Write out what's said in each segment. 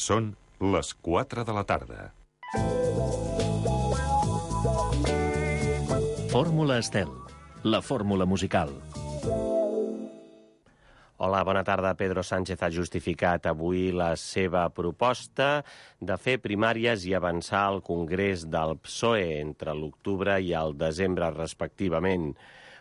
Són les 4 de la tarda. Fórmula Estel, la fórmula musical. Hola, bona tarda. Pedro Sánchez ha justificat avui la seva proposta de fer primàries i avançar al Congrés del PSOE entre l'octubre i el desembre, respectivament.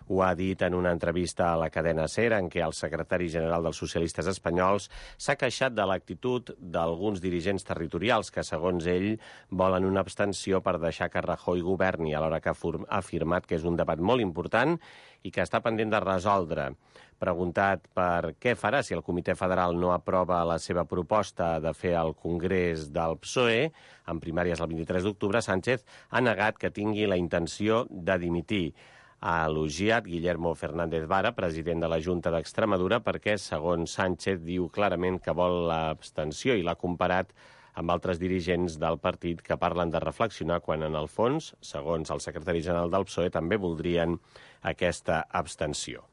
Ho ha dit en una entrevista a la cadena SER, en què el secretari general dels socialistes espanyols s'ha queixat de l'actitud d'alguns dirigents territorials que, segons ell, volen una abstenció per deixar que Rajoy governi, alhora que ha afirmat que és un debat molt important i que està pendent de resoldre. Preguntat per què farà si el Comitè Federal no aprova la seva proposta de fer el Congrés del PSOE, en primàries el 23 d'octubre, Sánchez ha negat que tingui la intenció de dimitir. Ha elogiat Guillermo Fernández Vara, president de la Junta d'Extremadura, perquè, segons Sánchez, diu clarament que vol l'abstenció i l'ha comparat amb altres dirigents del partit que parlen de reflexionar quan, en el fons, segons el secretari general del PSOE, també voldrien aquesta abstenció.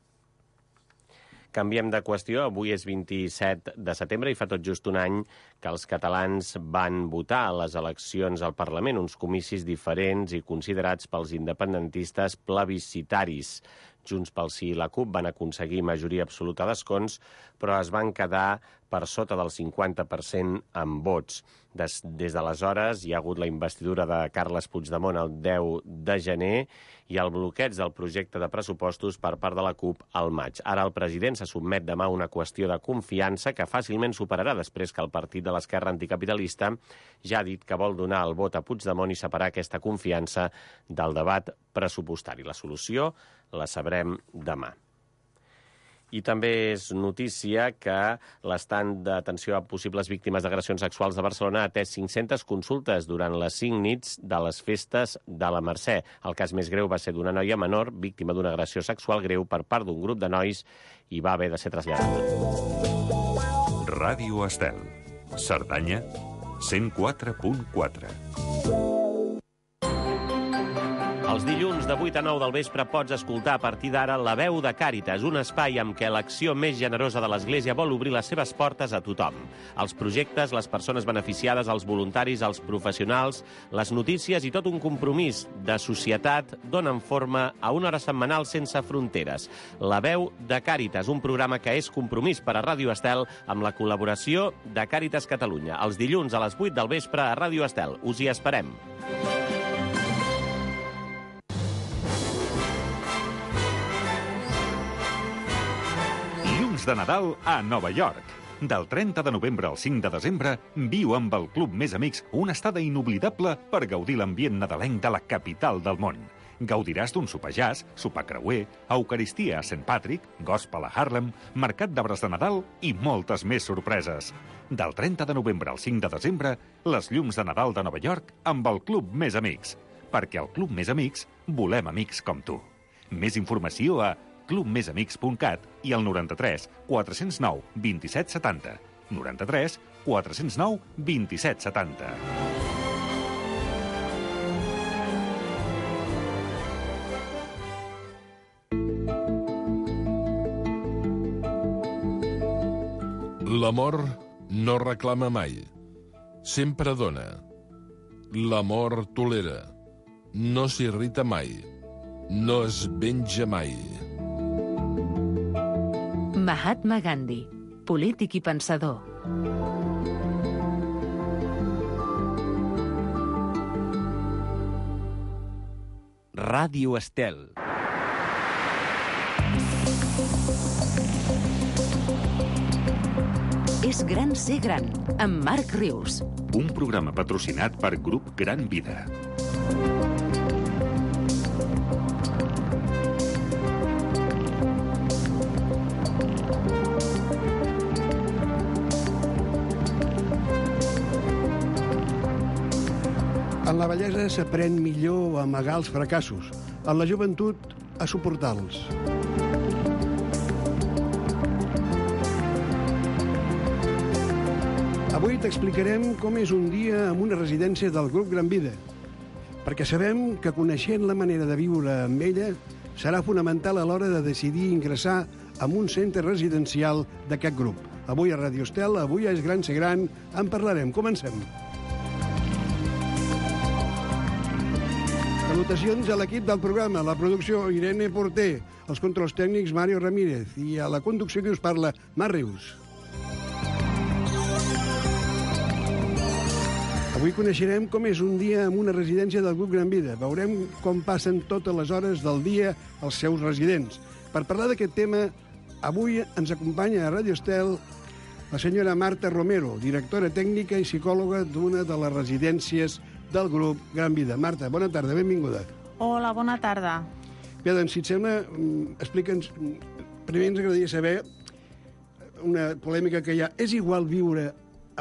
Canviem de qüestió. Avui és 27 de setembre i fa tot just un any que els catalans van votar a les eleccions al Parlament, uns comicis diferents i considerats pels independentistes plebiscitaris. Junts pel Sí i la CUP van aconseguir majoria absoluta d'escons, però es van quedar per sota del 50% en vots. Des d'aleshores hi ha hagut la investidura de Carles Puigdemont el 10 de gener i el bloqueig del projecte de pressupostos per part de la CUP al maig. Ara el president se sotmet demà a una qüestió de confiança que fàcilment superarà després que el partit de l'esquerra anticapitalista ja ha dit que vol donar el vot a Puigdemont i separar aquesta confiança del debat pressupostari. La solució la sabrem demà. I també és notícia que l'estand d'atenció a possibles víctimes d'agressions sexuals de Barcelona ha atès 500 consultes durant les 5 nits de les festes de la Mercè. El cas més greu va ser d'una noia menor, víctima d'una agressió sexual greu per part d'un grup de nois i va haver de ser traslladada. Ràdio Estel. Cerdanya, 104.4. Els dilluns de 8 a 9 del vespre pots escoltar a partir d'ara La Veu de Càritas, un espai amb què l'acció més generosa de l'Església vol obrir les seves portes a tothom. Els projectes, les persones beneficiades, els voluntaris, els professionals, les notícies i tot un compromís de societat donen forma a una hora setmanal sense fronteres. La Veu de Càritas, un programa que és compromís per a Ràdio Estel amb la col·laboració de Càritas Catalunya. Els dilluns a les 8 del vespre a Ràdio Estel. Us hi esperem. De Nadal a Nova York. Del 30 de novembre al 5 de desembre, viu amb el Club Més Amics una estada inoblidable per gaudir l'ambient nadalenc de la capital del món. Gaudiràs d'un sopar jazz, sopar creuer, eucaristia a St. Patrick, gospel a Harlem, mercat d'arbres de Nadal i moltes més sorpreses. Del 30 de novembre al 5 de desembre, les llums de Nadal de Nova York amb el Club Més Amics. Perquè al Club Més Amics volem amics com tu. Més informació a clubmesamics.cat i al 93 409 27 70. 93 409 27 70. L'amor no reclama mai. Sempre dona. L'amor tolera. No s'irrita mai. No es venja mai. Mahatma Gandhi, polític i pensador. Ràdio Estel. És gran ser gran, amb Marc Rius. Un programa patrocinat per Grup Gran Vida. En la vellesa s'aprèn millor a amagar els fracassos, en la joventut a suportar-los. Avui t'explicarem com és un dia en una residència del Grup Gran Vida, perquè sabem que coneixent la manera de viure amb ella serà fonamental a l'hora de decidir ingressar en un centre residencial d'aquest grup. Avui a Ràdio Estel, avui és gran ser gran, en parlarem. Comencem. Salutacions a l'equip del programa, la producció Irene Porter, els controls tècnics Mario Ramírez i a la conducció que us parla, Mar Rius. Avui coneixerem com és un dia en una residència del Grup Gran Vida. Veurem com passen totes les hores del dia els seus residents. Per parlar d'aquest tema, avui ens acompanya a Ràdio Estel la senyora Marta Romero, directora tècnica i psicòloga d'una de les residències del Grup Gran Vida. Marta, bona tarda, benvinguda. Hola, bona tarda. Bé, doncs, si et sembla, explica'ns... Primer ens agradaria saber una polèmica que hi ha. És igual viure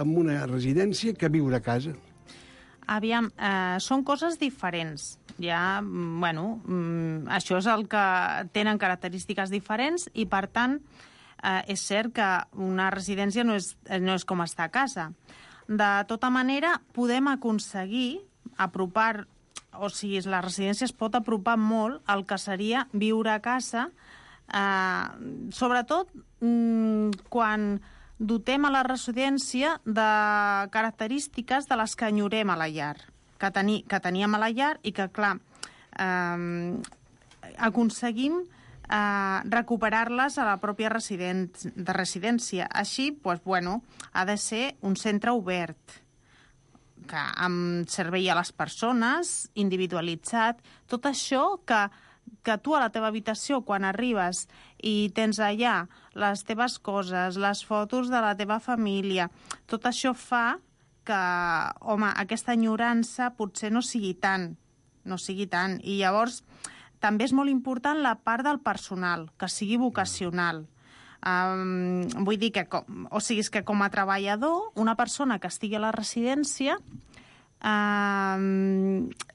en una residència que viure a casa? Aviam, són coses diferents. Ja, això és el que tenen característiques diferents i, per tant, és cert que una residència no és com estar a casa. De tota manera, podem aconseguir apropar, o sigui, la residència es pot apropar molt al que seria viure a casa, sobretot quan dotem a la residència de característiques de les que enyorem a la llar, que teníem a la llar i que, clar, aconseguim recuperar-les a la pròpia residència. Així, ha de ser un centre obert, amb servei a les persones, individualitzat, tot això que tu a la teva habitació, quan arribes i tens allà les teves coses, les fotos de la teva família, tot això fa que, aquesta enyorança potser no sigui tant. I llavors també és molt important la part del personal, que sigui vocacional. Vull dir que, com a treballador, una persona que estigui a la residència,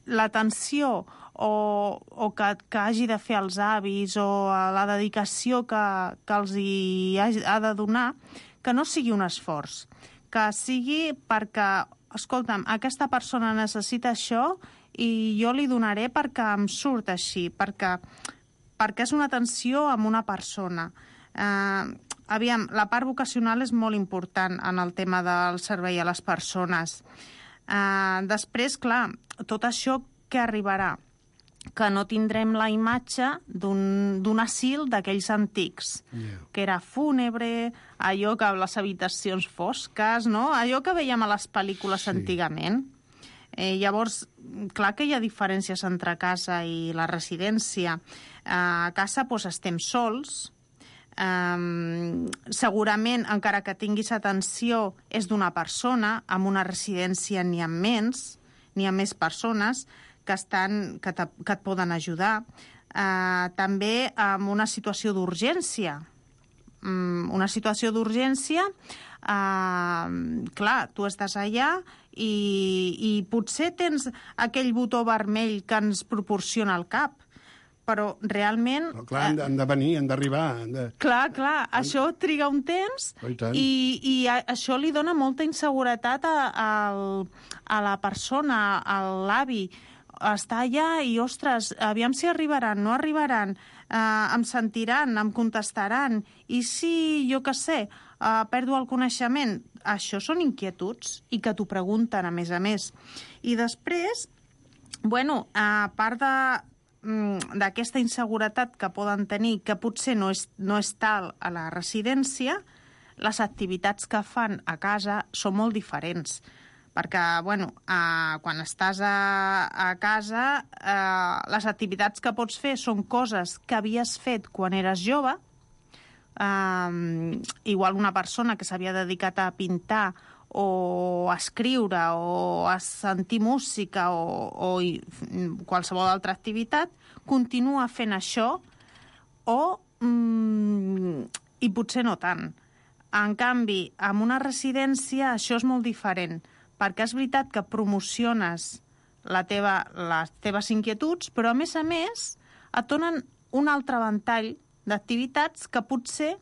l'atenció o que hagi de fer els avis o la dedicació que els hi ha de donar, que no sigui un esforç, que sigui perquè, escolta'm, aquesta persona necessita això i jo li donaré perquè em surt així, perquè és una atenció amb una persona. Aviam, la part vocacional és molt important en el tema del servei a les persones. Després, clar, tot això que arribarà, que no tindrem la imatge d'un asil d'aquells antics, que era fúnebre, allò que les habitacions fosques, no? Allò que veiem a les pel·lícules antigament. Llavors, clar que hi ha diferències entre casa i la residència. A casa estem sols. Segurament, encara que tinguis atenció, és d'una persona. En una residència n'hi ha més persones que et poden ajudar. També en una situació d'urgència. Clar, tu estàs allà i potser tens aquell botó vermell que ens proporciona el CAP, però realment... Però clar, han de venir, han d'arribar. Clar, això triga un temps i això li dona molta inseguretat a la persona, a l'avi. Està allà i, ostres, aviam si arribaran, no arribaran, em sentiran, em contestaran, i si, jo què sé, perdo el coneixement. Això són inquietuds i que t'ho pregunten, a més. I després, a part d'aquesta inseguretat que poden tenir, que potser no és tal a la residència, les activitats que fan a casa són molt diferents. Perquè, quan estàs a casa, les activitats que pots fer són coses que havies fet quan eres jove. Igual una persona que s'havia dedicat a pintar o a escriure o a sentir música o qualsevol altra activitat, continua fent això i potser no tant. En canvi, en una residència això és molt diferent, perquè és veritat que promociones les teves inquietuds, però a més et donen un altre ventall d'activitats que potser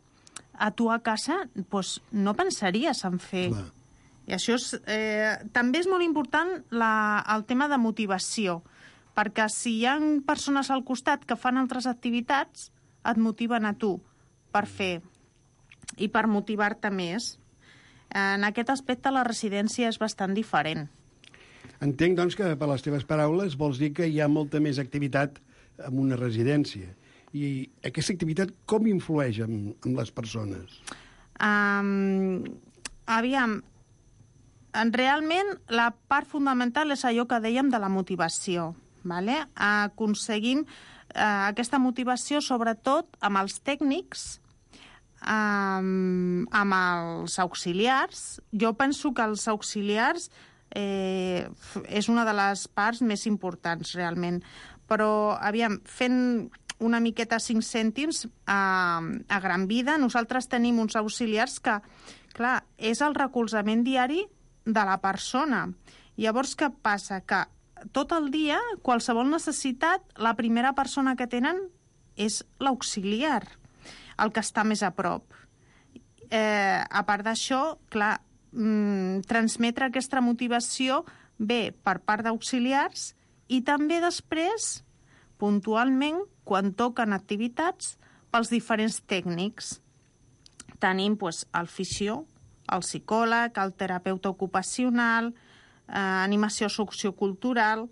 a tu a casa no pensaries en fer. Clar. I això també és molt important el tema de motivació, perquè si hi ha persones al costat que fan altres activitats, et motiven a tu per fer i per motivar-te més. En aquest aspecte la residència és bastant diferent. Entenc, doncs, que per les teves paraules vols dir que hi ha molta més activitat en una residència. I aquesta activitat com influeix en les persones? Aviam, realment la part fundamental és allò que dèiem de la motivació. Vale? Aconseguim aquesta motivació sobretot amb els tècnics, amb els auxiliars. Jo penso que els auxiliars és una de les parts més importants, realment. Però, aviam, fent una miqueta 5 cèntims a gran vida, nosaltres tenim uns auxiliars que, clar, és el recolzament diari de la persona. Llavors, què passa? Que tot el dia, qualsevol necessitat, la primera persona que tenen és l'auxiliar, el que està més a prop. A part d'això, clar, transmetre aquesta motivació ve per part d'auxiliars i també després, puntualment, quan toquen activitats, pels diferents tècnics. Tenim el fisio, el psicòleg, el terapeuta ocupacional, animació sociocultural.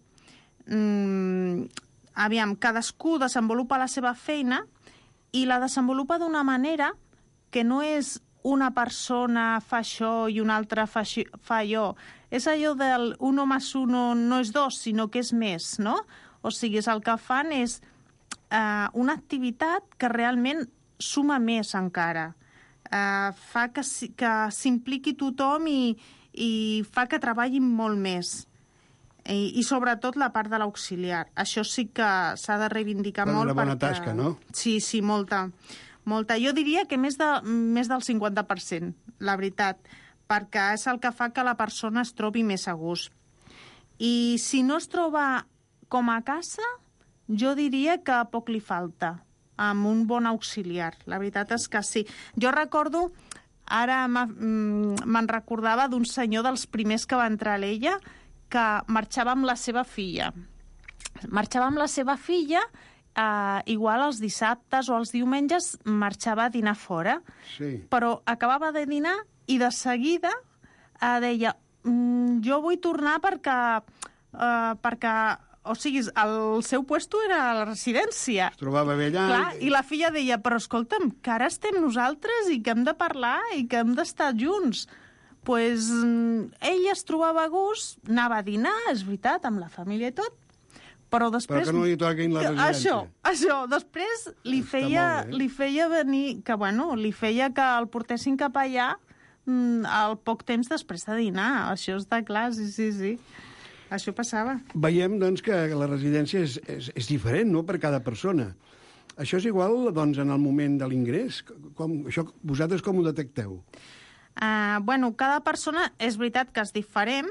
Aviam, cadascú desenvolupa la seva feina i la desenvolupa d'una manera que no és una persona fa això i una altra fa allò. És allò del 1 más 1 no és 2, sinó que és més, no? O sigui, el que fan és una activitat que realment suma més encara. Fa que s'impliqui tothom i fa que treballin molt més. I sobretot la part de l'auxiliar. Això sí que s'ha de reivindicar molt. Una bona tasca, no? Sí, molta. Jo diria que més del 50%, la veritat, perquè és el que fa que la persona es trobi més a gust. I si no es troba com a casa, jo diria que poc li falta amb un bon auxiliar. La veritat és que sí. Jo recordo, ara me'n recordava d'un senyor dels primers que va entrar a l'Ella que marxava amb la seva filla. Igual els dissabtes o els diumenges marxava a dinar fora. Sí. Però acabava de dinar i de seguida deia jo vull tornar perquè o sigui, el seu puesto era a la residència. Es trobava bé allà. Clar, i la filla deia, però escolta'm, que ara estem nosaltres i que hem de parlar i que hem d'estar junts. Pues ell es trobava a gust, anava a dinar, és veritat, amb la família i tot, però després... Però que no li toquin la residència. Això. Després li feia venir, que li feia que el portessin cap allà al poc temps després de dinar. Això està clar, sí. Això passava. Veiem, doncs, que la residència és diferent, no?, per cada persona. Això és igual, doncs, en el moment de l'ingrés? Vosaltres com ho detecteu? Cada persona és veritat que és diferent.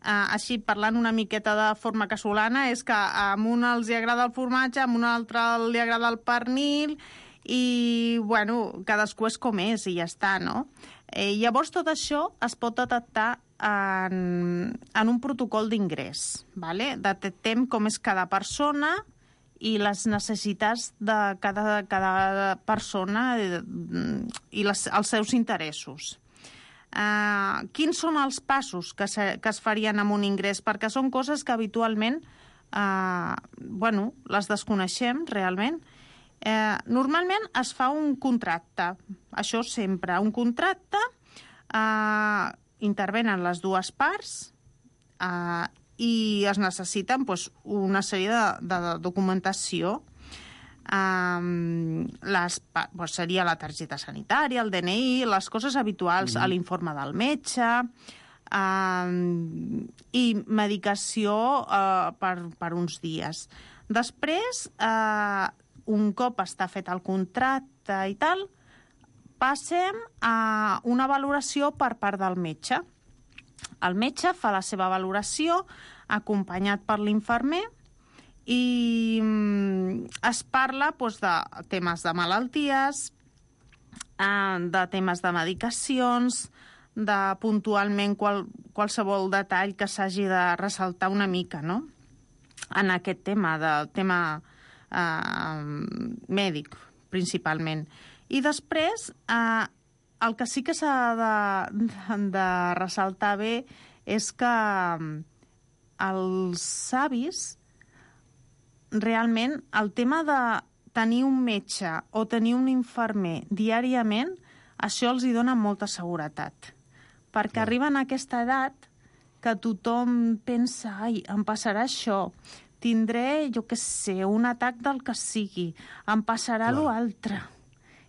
Així, parlant una miqueta de forma casolana, és que a un els agrada el formatge, a un altre li agrada el pernil, i, cadascú és com és i ja està, no? Llavors, tot això es pot detectar en un protocol d'ingrés. Detectem com és cada persona i les necessitats de cada persona i els seus interessos. Quins són els passos que es farien amb un ingrés? Perquè són coses que habitualment les desconeixem realment. Normalment es fa un contracte, això sempre, un contracte, intervenen les dues parts i es necessiten una sèrie de documentació. Seria la targeta sanitària, el DNI, les coses habituals, l'informe del metge i medicació per uns dies. Després, un cop està fet el contracte i tal, passem a una valoració per part del metge. El metge fa la seva valoració acompanyat per l'infermer i es parla de temes de malalties, de temes de medicacions, de puntualment qualsevol detall que s'hagi de ressaltar una mica, no?, en aquest tema, del tema mèdic, principalment. I després el que sí que s'ha de ressaltar bé és que els avis, realment, el tema de tenir un metge o tenir un infermer diàriament, això els hi dona molta seguretat. Perquè arriben a aquesta edat que tothom pensa, ai, em passarà això, tindré, jo què sé, un atac del que sigui, em passarà l'altre.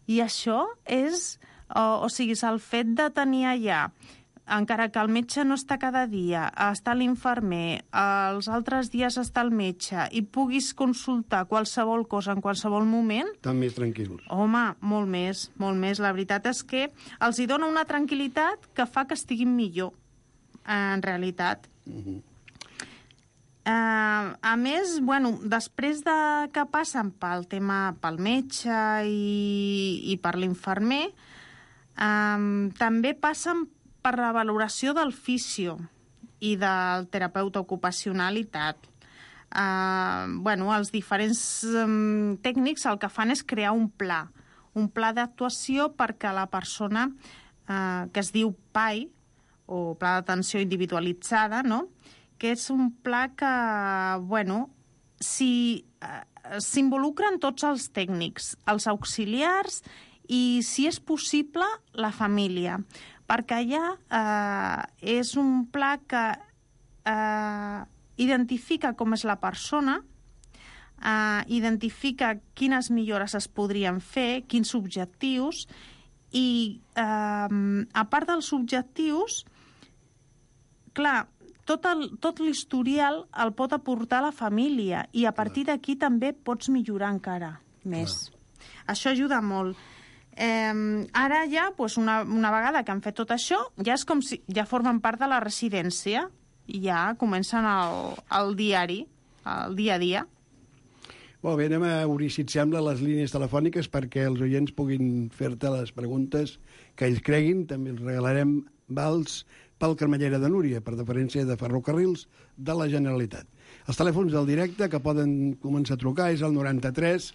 I això és, o sigui, el fet de tenir allà, encara que el metge no està cada dia, està l'infermer, els altres dies està el metge, i puguis consultar qualsevol cosa en qualsevol moment... Estan més tranquils. Home, molt més, molt més. La veritat és que els hi dona una tranquil·litat que fa que estiguin millor, en realitat. A més, bueno, després de que passen pel tema pel metge i per l'infermer, també passen per la valoració del fisio i del terapeuta ocupacional i tal. Bueno, els diferents tècnics el que fan és crear un pla d'actuació perquè la persona, que es diu PAI, o Pla d'Atenció Individualitzada, no?, que és un pla que, bueno, s'involucren tots els tècnics, els auxiliars i, si és possible, la família. Perquè allà és un pla que identifica com és la persona, identifica quines millores es podrien fer, quins objectius, i a part dels objectius, clar, tot l'historial el pot aportar la família i a partir d'aquí també pots millorar encara més. Això ajuda molt. Ara ja, una vegada que han fet tot això, ja és com si ja formen part de la residència i ja comencen el diari, el dia a dia. Molt bé, anem a obrir, si et sembla, les línies telefòniques perquè els oients puguin fer-te les preguntes que ells creguin. També els regalarem vals pel Cremallera de Núria, per deferència de Ferrocarrils de la Generalitat. Els telèfons del directe que poden començar a trucar és el 93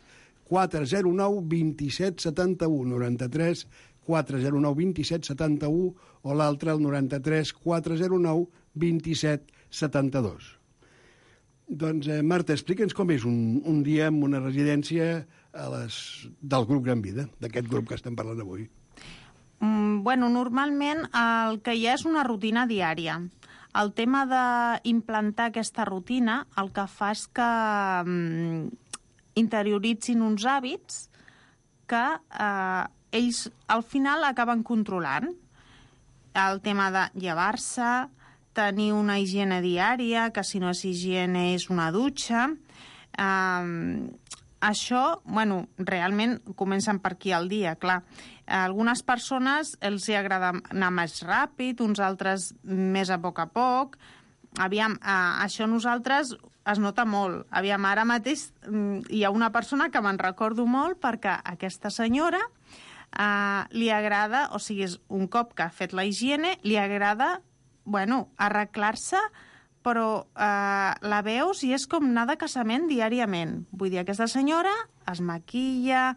409 27 71, 93 409 27 71, o l'altre el 93 409 27 72. Doncs, Marta, explica'ns com és un dia en una residència del grup Gran Vida, d'aquest grup que estem parlant avui. Bueno, normalment el que hi ha és una rutina diària. El tema d'implantar aquesta rutina el que fa és que interioritzin uns hàbits que ells al final acaben controlant. El tema de llevar-se, tenir una higiene diària, que si no és higiene és una dutxa. Això, bueno, realment comencen per aquí al dia, clar. A algunes persones els hi agrada anar més ràpid, uns altres més a poc. Aviam, això nosaltres es nota molt. Aviam, ara mateix hi ha una persona que me'n recordo molt perquè aquesta senyora li agrada, o sigui, és un cop que ha fet la higiene, li agrada, bueno, arreglar-se, però la veus i és com anar de casament diàriament. Vull dir, aquesta senyora es maquilla,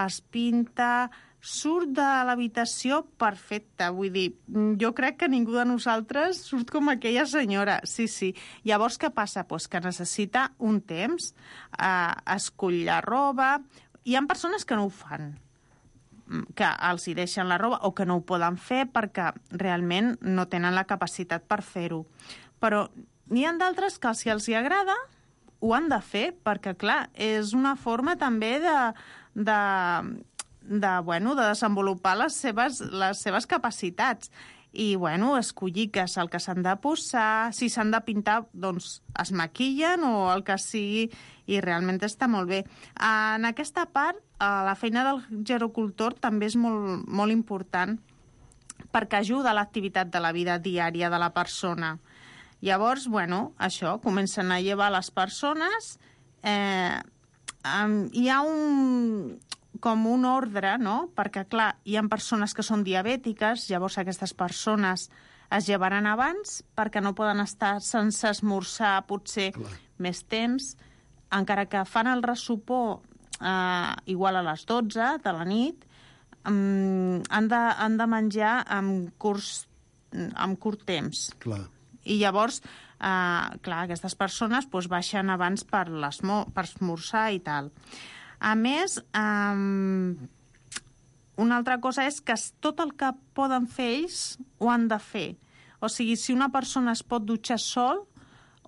es pinta, surt de l'habitació perfecta. Vull dir, jo crec que ningú de nosaltres surt com aquella senyora. Sí. Llavors, què passa? Pues que necessita un temps, escull la roba. Hi ha persones que no ho fan, que els hi deixen la roba o que no ho poden fer perquè realment no tenen la capacitat per fer-ho. Però n'hi ha d'altres que si els hi agrada ho han de fer perquè, clar, és una forma també de desenvolupar les seves capacitats i, bueno, escollir què és el que s'han de posar, si s'han de pintar, doncs es maquillen o el que sigui, i realment està molt bé. En aquesta part, la feina del gerocultor també és molt, molt important perquè ajuda a l'activitat de la vida diària de la persona. Llavors, bueno, això, comencen a llevar les persones, hi ha com un ordre, no? Perquè, clar, hi ha persones que són diabètiques, llavors aquestes persones es llevaran abans perquè no poden estar sense esmorzar potser més temps, encara que fan el ressopor igual a les 12 de la nit, han de menjar amb curt temps. Clar. I llavors, aquestes persones baixen abans per esmorzar i tal. A més, una altra cosa és que tot el que poden fer ells ho han de fer. O sigui, si una persona es pot dutxar sol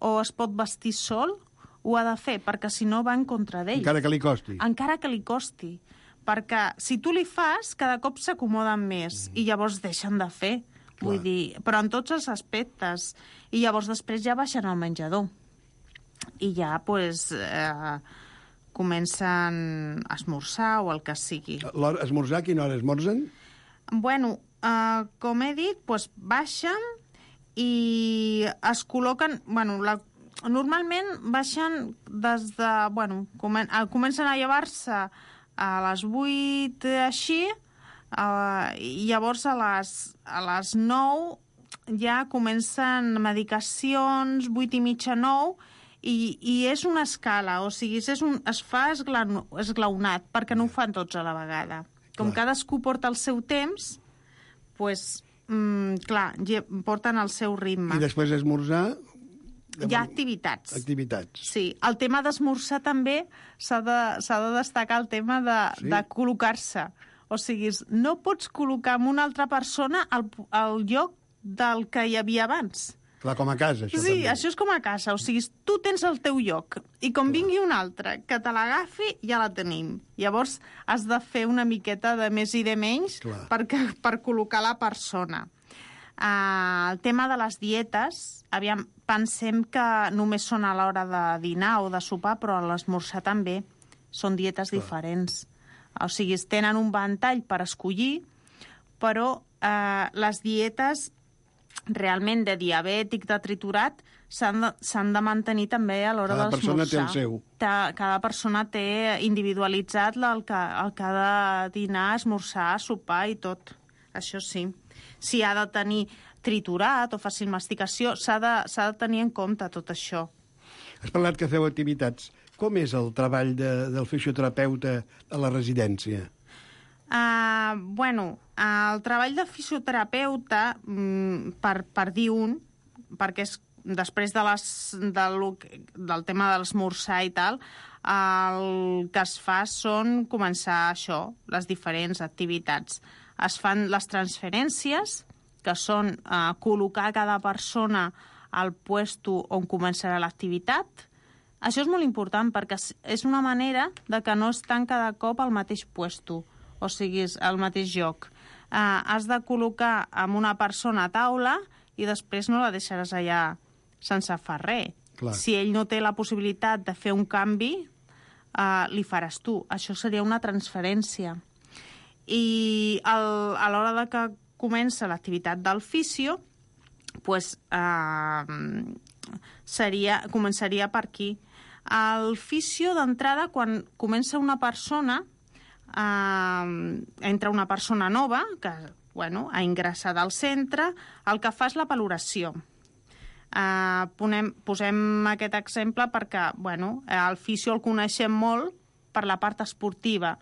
o es pot vestir sol, ho ha de fer, perquè si no va en contra d'ell. Encara que li costi. Encara que li costi. Perquè si tu li fas, cada cop s'acomoden més i llavors deixen de fer. Vull dir, però en tots els aspectes. I llavors després ja baixen al menjador. I ja, comencen a esmorzar o el que sigui. Esmorzar, quina hora esmorzen? Bueno, com he dit, baixen i es col·loquen... Bueno, normalment baixen des de... Bueno, comencen a llevar-se a les 8, així, i llavors a les 9 ja comencen medicacions, 8 i mitja, 9, i és una escala, o sigui, es fa esglaonat, perquè no ho fan tots a la vegada. Com cadascú porta el seu temps, porten el seu ritme. I després d'esmorzar... Hi ha activitats. Activitats. Sí, el tema d'esmorzar també s'ha de destacar el tema de col·locar-se. O sigui, no pots col·locar amb una altra persona al lloc del que hi havia abans. Clar, com a casa, això sí, també. Això és com a casa. O sigui, tu tens el teu lloc i com vingui un altre que te l'agafi, ja la tenim. Llavors has de fer una miqueta de més i de menys per col·locar la persona. El tema de les dietes, pensem que només són a l'hora de dinar o de sopar, però a l'esmorzar també són dietes diferents. O sigui, tenen un ventall per escollir, però les dietes realment de diabètic, de triturat, s'han de mantenir també a l'hora d'esmorzar. Cada persona té el seu. Cada persona té individualitzat el que ha de dinar, esmorzar, sopar i tot. Això sí. Si ha de tenir triturat o fàcil masticació, s'ha de tenir en compte tot això. Has parlat que feu activitats. Com és el treball del fisioterapeuta a la residència? El treball de fisioterapeuta, per dir perquè és després del tema de l'esmorzar i tal, el que es fa són començar això, les diferents activitats. Es fan les transferències, que són col·locar cada persona al puesto on començarà l'activitat. Això és molt important perquè és una manera de que no estan cada cop al mateix puesto, o sigui, al mateix lloc. Has de col·locar amb una persona a taula i després no la deixaràs allà sense fer res. Clar. Si ell no té la possibilitat de fer un canvi, li faràs tu. Això seria una transferència. I a l'hora de que comença l'activitat del fisio, començaria per aquí. El fisio, d'entrada, quan comença una persona, entra una persona nova, que ha ingressat al centre, el que fa és la valoració. Posem aquest exemple perquè el fisio el coneixem molt per la part esportiva.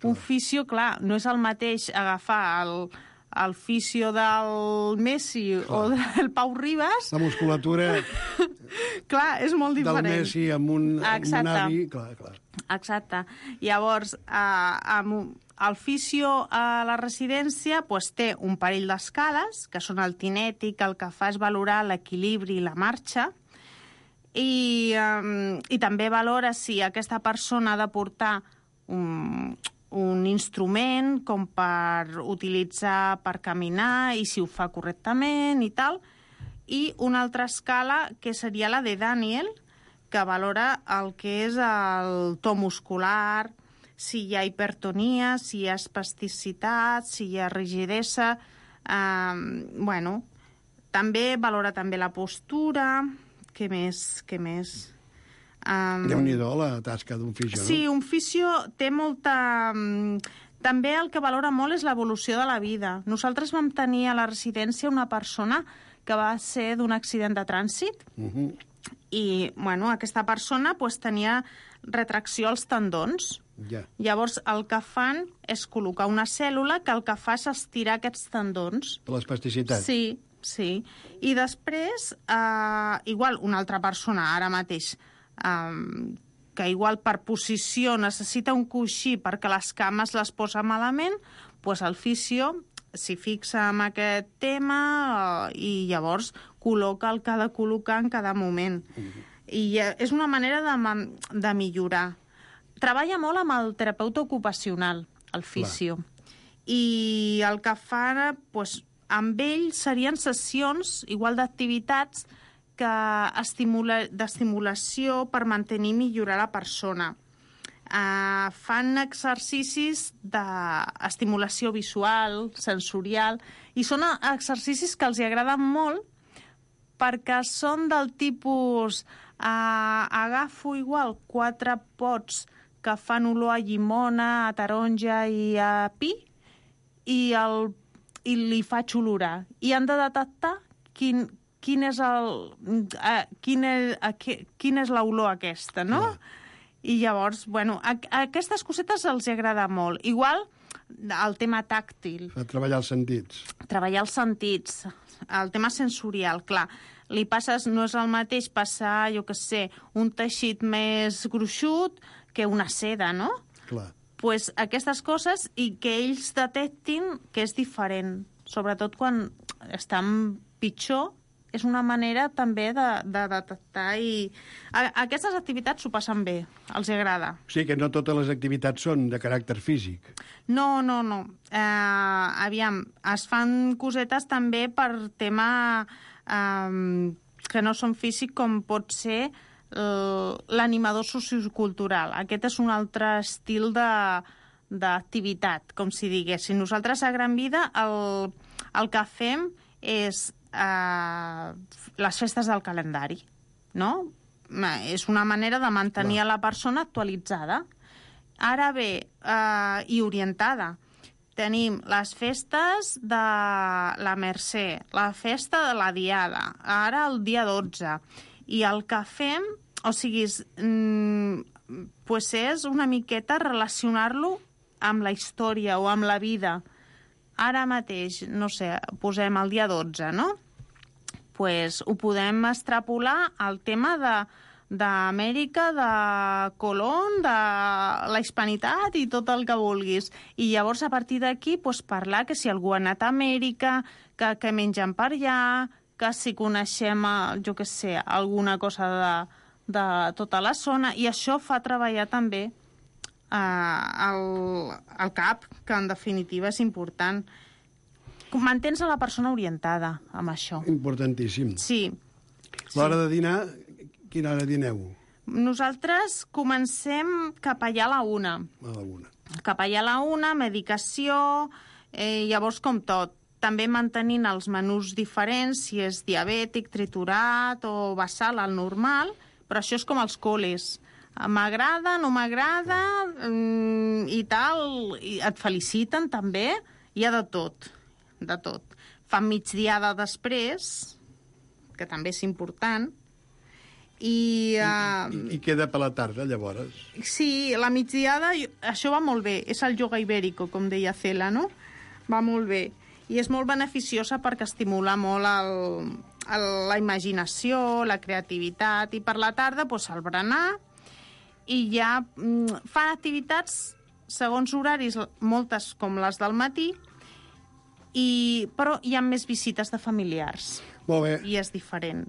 Un fisio, clar, no és el mateix agafar el fisio del Messi o del Pau Ribas. La musculatura clar, és molt diferent. Del Messi amb un avi. Clar. Exacte. Llavors, el fisio a la residència té un parell d'escales, que són el tinètic, el que fa és valorar l'equilibri i la marxa, i també valora si aquesta persona ha de portar un instrument com per utilitzar per caminar i si ho fa correctament i tal. I una altra escala que seria la de Daniel, que valora el que és el to muscular, si hi ha hipertonia, si hi ha espasticitat, si hi ha rigidesa. També valora també la postura. Què més? Déu-n'hi-do la tasca d'un fisio, no? Sí, un fisio té molta... També el que valora molt és l'evolució de la vida. Nosaltres vam tenir a la residència una persona que va ser d'un accident de trànsit i, aquesta persona tenia retracció als tendons. Ja. Llavors, el que fan és col·locar una cèl·lula que el que fa és estirar aquests tendons. Per l'espasticitat. Sí, sí. I després, igual, una altra persona, ara mateix, que igual per posició necessita un coixí perquè les cames les posa malament, doncs el fisio s'hi fixa en aquest tema i llavors col·loca el que ha de col·locar en cada moment. I és una manera de millorar. Treballa molt amb el terapeuta ocupacional, el fisio. I el que fa, doncs, amb ell serien sessions, igual d'activitats, d'estimulació per mantenir i millorar la persona. Fan exercicis d'estimulació visual, sensorial, i són exercicis que els agraden molt perquè són del tipus agafo igual 4 pots que fan olor a llimona, a taronja i a pi i li faig olorar. I han de detectar quina és l'olor aquesta, no? I llavors, bueno, aquestes cosetes els agrada molt. Igual el tema tàctil. Treballar els sentits. Treballar els sentits. El tema sensorial, clar. Li passes, no és el mateix passar, jo què sé, un teixit més gruixut que una seda, no? Clar. Pues aquestes coses i que ells detectin que és diferent. Sobretot quan estan pitjor, és una manera també de detectar i... Aquestes activitats s'ho passen bé, els agrada. Sí, que no totes les activitats són de caràcter físic. No. Aviam, es fan cosetes també per tema que no són físic, com pot ser l'animador sociocultural. Aquest és un altre estil d'activitat, com si diguéssim. Nosaltres a Gran Vida el que fem és les festes del calendari, no? És una manera de mantenir a la persona actualitzada. Ara bé, i orientada. Tenim les festes de la Mercè, la festa de la Diada, ara el dia 12. I el que fem, o sigui, és una miqueta relacionar-lo amb la història o amb la vida. Ara mateix, no sé, posem el dia 12, no? Pues ho podem extrapolar al tema d'Amèrica, de Colón, de la hispanitat i tot el que vulguis. I llavors, a partir d'aquí, pues, parlar que si algú ha anat a Amèrica, que mengen per allà, que si coneixem, jo què sé, alguna cosa de tota la zona. I això fa treballar també el cap, que en definitiva és important. Mantens a la persona orientada amb això. Importantíssim. Sí. L'hora de dinar, quina hora dineu? Nosaltres comencem cap allà a la 1. A la 1. Cap allà a la 1, medicació, llavors com tot. També mantenint els menús diferents, si és diabètic, triturat o basal, el normal, però això és com els col·les. M'agrada, no m'agrada, i tal, i et feliciten també, hi ha de tot, de tot. Fan migdiada després, que també és important, i queda per la tarda, llavors? Sí, la migdiada, això va molt bé, és el yoga ibèrico, com deia Cela, no? Va molt bé, i és molt beneficiosa perquè estimula molt la imaginació, la creativitat, i per la tarda, doncs, el berenar, i ja fan activitats segons horaris, moltes com les del matí, però hi ha més visites de familiars. Molt bé. I és diferent.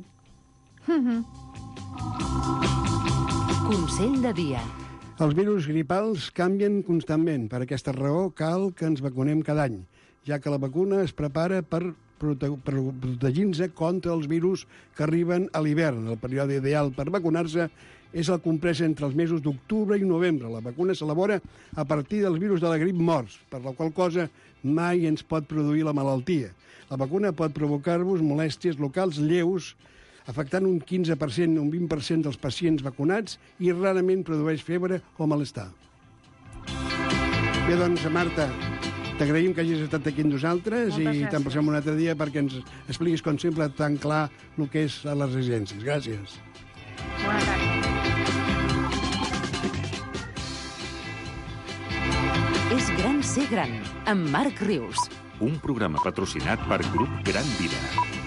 Consell de dia. Els virus gripals canvien constantment. Per aquesta raó cal que ens vacunem cada any, ja que la vacuna es prepara per protegir-se contra els virus que arriben a l'hivern. El període ideal per vacunar-se és el comprès entre els mesos d'octubre i novembre. La vacuna s'elabora a partir dels virus de la grip morts, per la qual cosa mai ens pot produir la malaltia. La vacuna pot provocar-vos molèsties locals lleus, afectant un 15%, un 20% dels pacients vacunats i rarament produeix febre o malestar. Bé, doncs, Marta, t'agraïm que hagis estat aquí amb nosaltres. Moltes gràcies. I te'n passem un altre dia perquè ens expliquis, com sempre, tan clar el que és a les residències. Gràcies. Bona tarda. Vol ser gran, amb Marc Rius. Un programa patrocinat per Grup Gran Vida.